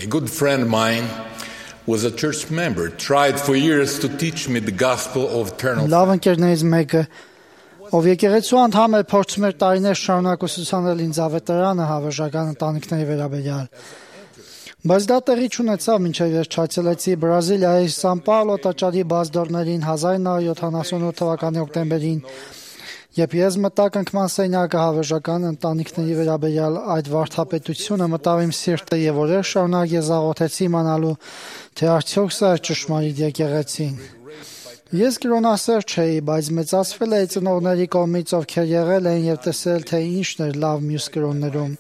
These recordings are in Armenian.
A good friend of mine was a church member, tried for years to teach me the gospel of eternal life. Լավ ընկերներից մեկը, ով եկեղեցու անդամ էր, փորձում էր տարիներ շարունակ ուսուցանել ինձ ավետարանը հավերժական ընտանիքների վերաբերյալ։ Բայց դա տեղի չունեցավ, մինչև վերջացելեցի Բրազիլիայի Սան Պաուլո տաճարի բազդորներին 1978 թվականի հոկտեմբերին, երբ ես մտա կնքման սենյակը հավերժական ընտանիքների վերաբերյալ այդ վարդապետությունը մտավ իմ սիրտը եւ օրեր շարունակ ես աղոթեցի իմանալու, թե արդյոք սա է ճշմարիտ եկեղեցին։ Ես կրոնասեր չէի, բայց մեծացվել էի ծնողների կողմից, ովքեր եղել են եւ տեսել, թե ինչն էր լավ մյուս կրոններում։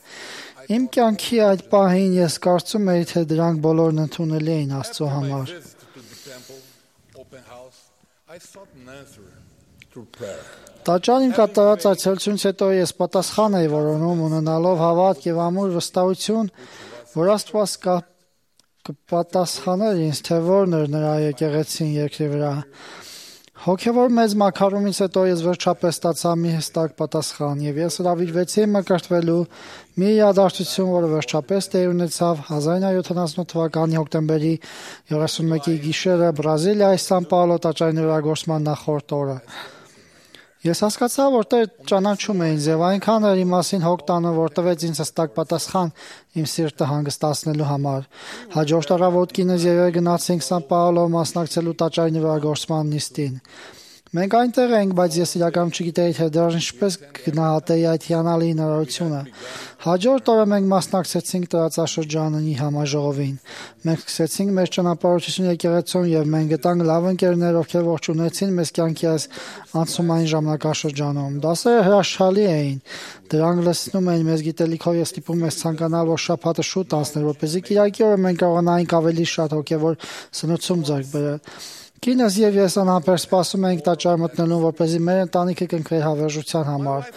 Իմ կյանքի այդ պահին ես կարծում էի, թե դրանք բոլորն ընդունելի էին Աստծո համար։ Տաճարին կատարած այցելությունից հետո ես պատասխան էի որոնում, ունենալով հավատք եւ ամուր վստահություն, որ Աստված կպատասխաներ ինձ, թե որն էր նրա եկեղեցին երկրի վրա։ Հոգևոր մեծ մաքարումից հետո ես վերջապես ստացա մի հստակ պատասխան եւ ես հրավիրվեցի մկրտվելու մի իրադարձություն, որը վերջապես տեղի ունեցավ 1978 թվականի հոկտեմբերի 31-ի գիշերը Բրազիլիայի Սան Պաուլո տաճարի նորագործման նախորդ օրը։ Ես հասկացա, որ Տեր ճանաչում է ինձ եւ այնքան էր իմ մասին հոգ տանը, որ տվեց ինձ հստակ պատասխան իմ սիրտը հանգստացնելու համար։ Հաջորդ առավոտքինս եւ գնացինք Սան Պաուլո մասնակցելու տաճարի նորագործման նիստին։ Մենք այնտեղ ենք, բայց ես իրականում չգիտեի, թե դեռ ինչպես գնահատեի այդ հիանալի հնարավորությունը։ Հաջորդ օրը մենք մասնակցեցինք տարածաշրջանի համաժողովին։ Մենք սկսեցինք մեր ճանապարհորդությունը եկեղեցուն եւ մենք գտանք լավ ընկերներ, ովքեր ողջունեցին մեզ կյանքի այս անցումային ժամանակաշրջանում։ Դասերը հրաշալի էին։ Դրանք լցնում էին մեզ գիտելիքով եւ ստիպում մեզ ցանկանալ, որ շաբաթը շուտ անցներ, որպեսզի կիրակի օրը մենք կարողանայինք ավելի շատ հոգեվոր սնուցում ձեռք բերել։ Կինս եւ ես անհամբեր սպասում էինք տաճար մտնելուն, որպեսզի մեր ընտանիքը կընկներ հավերժության համար։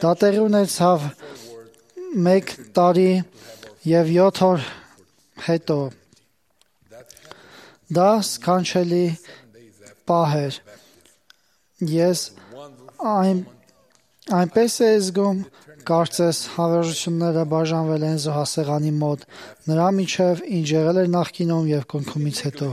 Դա տեղի ունեցավ 1 տարի եւ 7 օր հետո։ Դա սքանչելի պահ էր։ Ես այնպես էի զգում, կարծես հավերժությունները բաժանվել են զոհասեղանի մոտ, նրա միջև ինչ եղել էր նախկինում եւ կնքումից հետո։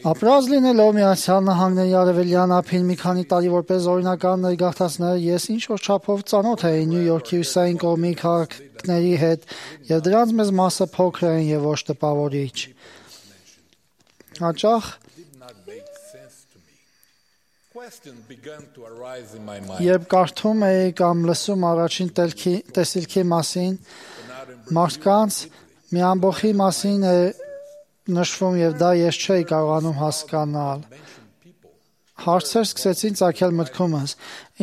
Ապրած լինելով Միացյալ Նահանգների արևելյան ափին մի քանի տարի որպես օրինական ներգաղթածներ, ես ինչ-որ չափով ծանոթ էի Նյու Յորքի հյուսիսային կողմի քաղաքների հետ, եւ դրանց մեծ մասը փոքր էին եւ ոչ տպավորիչ։ Հաճախ երբ կարդում էի կամ լսում առաջին տեսիլքի մասին, մարդկանց մի ամբողջի մասին է նշվում եւ դա ես չէի կարողանում հասկանալ։ Հարցեր սկսեցին ծագել մտքումս.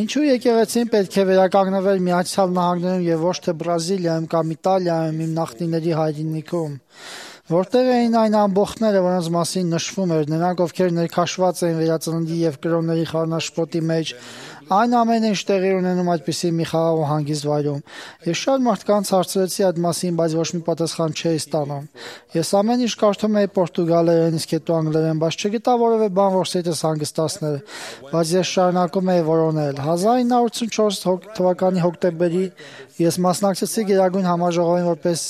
ինչու եկեղեցին պետք է վերականգնվեր Միացյալ Նահանգներում եւ ոչ թե Բրազիլիայում կամ Իտալիայում, իմ նախնիների հայրենիքում։ Որտեղ էին այն ամբողջները, որոնց մասին նշվում էր, նրանք, ովքեր ներքաշված էին վերածննդի եւ կրոնների խառնաշփոթի մեջ, այն ամենը ինչ տեղի ունենում այդպիսի մի խաղաղ ու հանգիստ վայրում։ Ես շատ մարդկանց հարցրեցի այդ մասին, բայց ոչ մի պատասխան չէի ստանում։ Ես ամեն ինչ կարդում էի պորտուգալերեն, իսկ հետո անգլերեն, բայց չգտա որևէ բան, որ սիրտս հանգստացներ, բայց ես շարունակում էի որոնել։ 1984 թվականի հոկտեմբերի ես մասնակցեցի Գերագույն համաժողովին որպես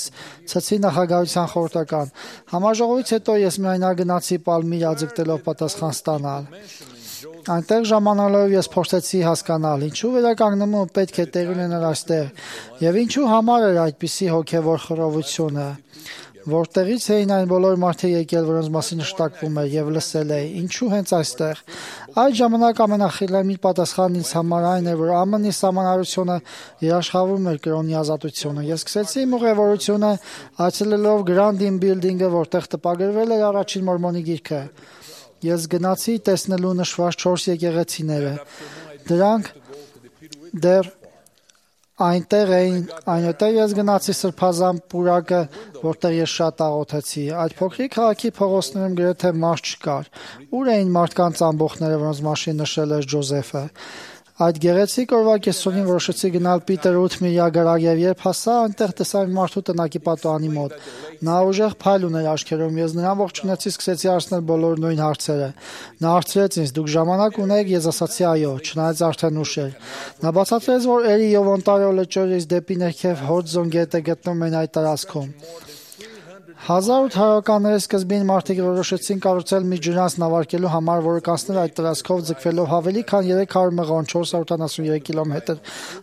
ցցի նախագահության խորհրդական։ Համաժողովից հետո ես միայնակ գնացի Պալմիրա ձգտելով պատասխան ստանալ։ Այնտեղ ժամանալով ես փորձեցի հասկանալ, ինչու վերականգնումը պետք է տեղի ունենար այստեղ եւ ինչու համար էր այդպիսի հոգեվոր խռովությունը, որտեղից էին այն բոլոր մարդը եկել, որոնց մասին շտակվում էր եւ լսել էի, ինչու հենց այստեղ։ Այդ ժամանակ ամենախիլամիտ պատասխանն ինձ համար այն էր, որ ԱՄՆ-ի սահմանարությունը երաշխավորում էր կրոնի ազատությունը։ Ես սկսեցի իմ ուղևորությունը այցելելով Grand Inn Building-ը, որտեղ տպագրվել էր առաջին մորմոնի գիրքը։ Ես գնացի տեսնելու նշված 4 եկեղեցիները։ Դրանք դեռ այնտեղ էին, այնուհետև ես գնացի Սրբազան պուրակը, որտեղ ես շատ աղոթեցի։ Այդ փոքրիկ քաղաքի փողոցներում գրեթե մարդ չկար։ Ուր էին մարդկանց ամբողջները, որոնց մասին նշել էր Ջոզեֆը։ Այդ գեղեցիկ օրվա կեսօրին որոշեցի գնալ Պիտեր Ութմիրի ագարակ եւ երբ հասա, այնտեղ տեսա մի մարդու տնակի պատուհանի մոտ։ Նա ուժեղ փայլ ուներ աչքերում, ես նրան ողջունեցի, սկսեցի հարցնել բոլոր նույն հարցերը։ Նա հարցրեց ինձ. «Դուք ժամանակ ունեք»։ Ես ասացի. «Այո», չնայած արդեն ուշ էր։ Նա բացատրեց, որ Էրի եւ Օնտարիո լճերից դեպի ներքև Հոդզոն գետը գտնվում են այդ տարածքում։ 1800-ականների սկզբին մարդիկ որոշեցին կառուցել մի ջրանց նավարկելու համար, որը կանցներ այդ տարածքով ձգվելով ավելի քան 300 մղոն 473 կիլոմետր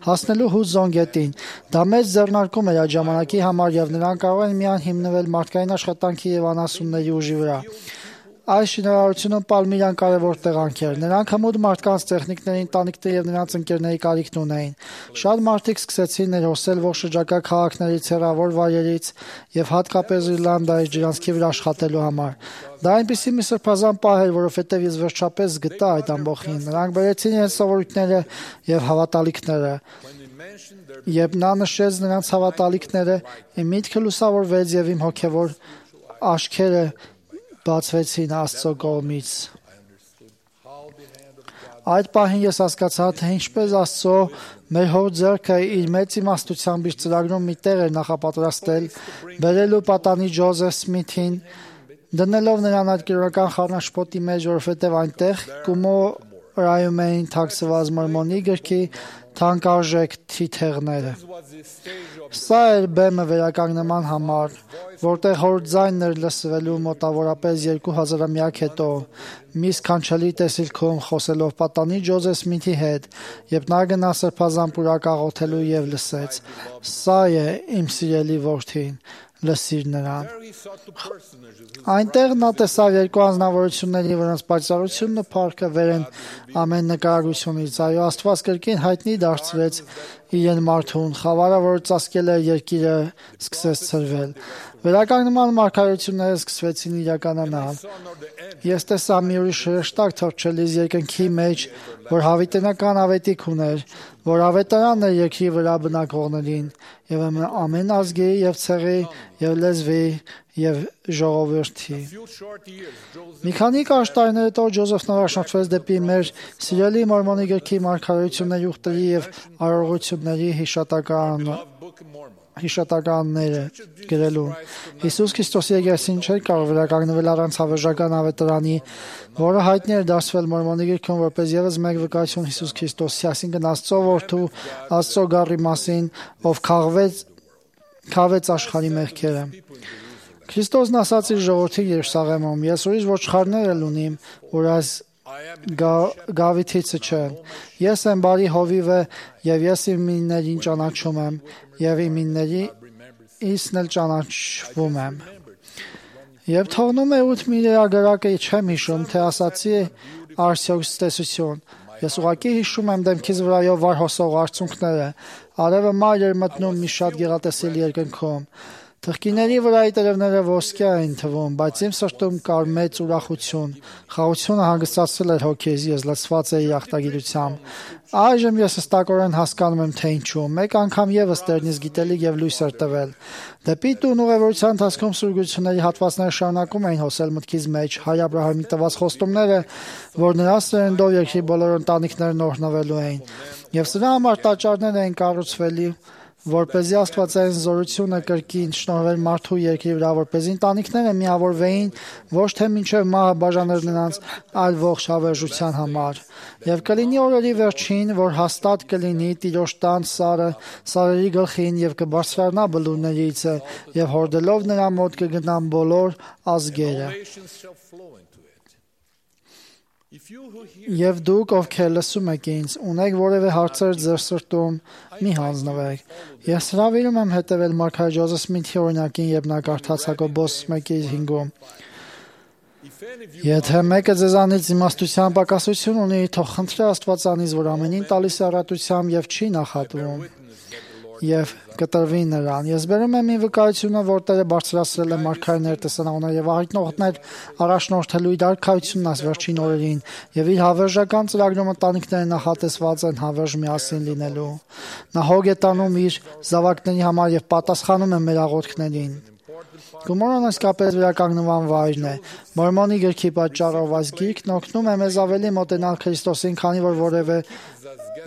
հասնելու Հուդզոն գետին։ Դա մեծ ձեռնարկում էր այդ ժամանակի համար եւ նրանք կարող են միայն հիմնվել մարդկային աշխատանքի եւ անասունների ուժի վրա։ Այս շինարարությունում Պալմիրան կարևոր տեղանք էր։ Նրանք հմուտ մարդկանց տեխնիկների, ընտանիքների եւ նրանց ընկերների կարիքն ունեին։ Շատ մարդիկ սկսեցին ներհոսել ողջ շրջակա քաղաքներից, հեռավոր վայրերից եւ հատկապես Իռլանդայից ջրանցքի վրա աշխատելու համար։ Դա այնպիսի մի սրբազան պահ էր, որովհետեւ ես վերջապես գտա այդ ամբողջին։ Նրանք բերեցին իրենց սովորույթները եւ հավատալիքները։ Երբ նա նշեց նրանց հավատալիքները, իմ միտքը լուսավորվեց եւ իմ հոգեվոր աչքերը բացվեցին Աստծո կողմից։ Այդ պահին ես հասկացա, թե ինչպես Աստծո մեր հոր ձեռքը իր մեծ իմաստությամբ իր ծրագրում մի տեղ էր նախապատրաստել, բերելու պատանի Ջոզեֆ Սմիթին, դնելով նրան այդ կիրառական խառնաշփոթի մեջ, որովհետև այնտեղ կումորայում էին թաքցված Մորմոնի գրքի թանկարժեք թիթեղները։ Սա էր բեմը վերականգնման համար, որտեղ հոր ձայնն էր լսվելու մոտավորապես 2000-ամյակ հետո, մի սքանչելի տեսիլքում խոսելով պատանի Ջոզեֆ Սմիթի հետ, երբ նա գնա սրբազան պուրակ աղոթելու եւ լսեց. «Սա է իմ սիրելի որդին, լսիր նրան»։ Այնտեղ նա տեսավ երկու անձնավորությունների, որոնց պայծառությունն ու փառքը վեր են ամեն նկարագրությունից։ Այո, Աստված կրկին հայտնի դարձրեց իրեն մարդուն, խավարը, որ ծածկել էր երկիրը, սկսեց ցրվել։ Վերականգնման մարգարեությունները սկսվեցին իրականանալ։ Ես տեսա մի ուրիշ հրեշտակ թռչելիս երկնքի մեջ, որ հավիտենական ավետիք ուներ, որ ավետարանն էր երկրի վրա բնակվողներին, եւ ամեն ազգի եւ ցեղի եւ լեզվի եւ ժողովրդի։ Մի քանի կարճ տարիներ հետո Ջոզեֆն առաջնորդվեց դեպի մեր սիրելի Մորմոնի գրքի մարգարեությունների ուխտերի եւ արարողությունների հիշատականները գրելու։ Հիսուս Քրիստոսի եկեղեցին չէր կարող վերականգնվել առանց հավերժական ավետարանի, որը հայտնի էր դարձվել Մորմոնի գրքում որպես ևս մեկ վկայություն Հիսուս Քրիստոսի, այսինքն Աստծո որդու, Աստծո գառի մասին, ով քավեց աշխարհի մեղքերը։ Քրիստոսն ասաց իր ժողովրդին Երուսաղեմում. «Ես ուրիշ ոչխարներ էլ ունիմ, որ այս գավիթիցը չեն։ Ես եմ բարի հովիվը եւ ես իմ միններին ճանաչում եմ եւ իմ միններիցն էլ ճանաչվում եմ»։ Եվ թողնում է Ութմիրի ագարակը չեմ հիշում, թե ասացի Արսիոս տեսություն։ Ես ուղղակի հիշում եմ դեմքիս վրայով վար հոսող արցունքները։ Արևը մայր էր մտնում մի շատ գեղատեսիլ երկնքում։ Թղկիների վրայի տերևները ոսկյա էին թվում, բայց իմ սրտում կար մեծ ուրախություն։ Խաղաղությունը հանգստացել էր հոգիս, ես լցված էի ախտագիտությամբ։ Այժմ ես հստակորեն հասկանում եմ, թե ինչու։ Մեկ անգամ եւս Տերնից գիտելիք եւ լույս էր տվել։ Դեպի տուն ուղևորության ընթացքում սուրգությունների հատվածները շարունակում էին հոսել մտքիս մեջ, հայ Աբրահամի տված խոստումները, որ նրա սերնդով երկրի բոլոր ընտանիքներն օրհնվելու էին, եւ սրա համար տաճարներ էին կառուցվելի, որպեսզի աստվածային զորությունը կրկին շնորհվեր մարդու երկրի վրա, որպեսզի ընտանիքները միավորվեին ոչ թե մինչև մահը բաժաներ նրանց, այլ ողջ հավերժության համար։ Եվ կլինի օրերի վերջին, որ հաստատ կլինի Տիրոջ տան սարը սարերի գլխին եւ կբարձրանա բլուրներիցը եւ հորդելով նրա մոտ կգնան բոլոր ազգերը։ Եվ դուք, ովքեր լսում եք ինձ, ունեք որևէ հարցեր ձեր սրտում, մի հանձնվեք։ Ես հրավիրում եմ հետևել մարգարե Ջոզեֆ Սմիթի օրինակին, երբ նա կարդաց Հակոբոս 1:5-ում։ Եթե մեկը ձեզանից իմաստության պակասություն ունի, թող խնդրի Աստվածանից, որ ամենին տալիս է առատությամբ եւ չի նախատվում, եւ կտրվի նրան։ Ես բերում եմ մի վկայությունը, որ Տերը բարձրացրել է մարգարեներ, տեսանողներ եւ աղիտնողներ առաջնորդելու իր արքայությունն այս վերջին օրերին, եւ իր հավերժական ծրագրում ընտանիքները նախատեսված են հավերժ միասին լինելու։ Նա հոգ է տանում իր զավակների համար եւ պատասխանում է մեր աղոթքներին։ Գումարան իսկապես վերականգնման վայրն է։ Մորմոնի գրքի պատճառով այս գիրքն օգնում է մեզ ավելի մոտենալ Քրիստոսին, քանի որ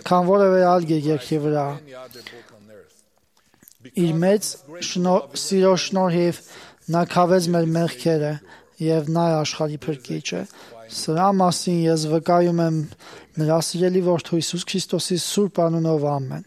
քան որևէ այլ երկրի վրա։ Իր մեծ սիրո շնորհիվ նա քավեց մեր մեղքերը եւ նա է աշխարհի փրկիչը։ Սրա մասին ես վկայում եմ նրա սիրելի որդու Հիսուս Քրիստոսի սուրբ անունով ամեն։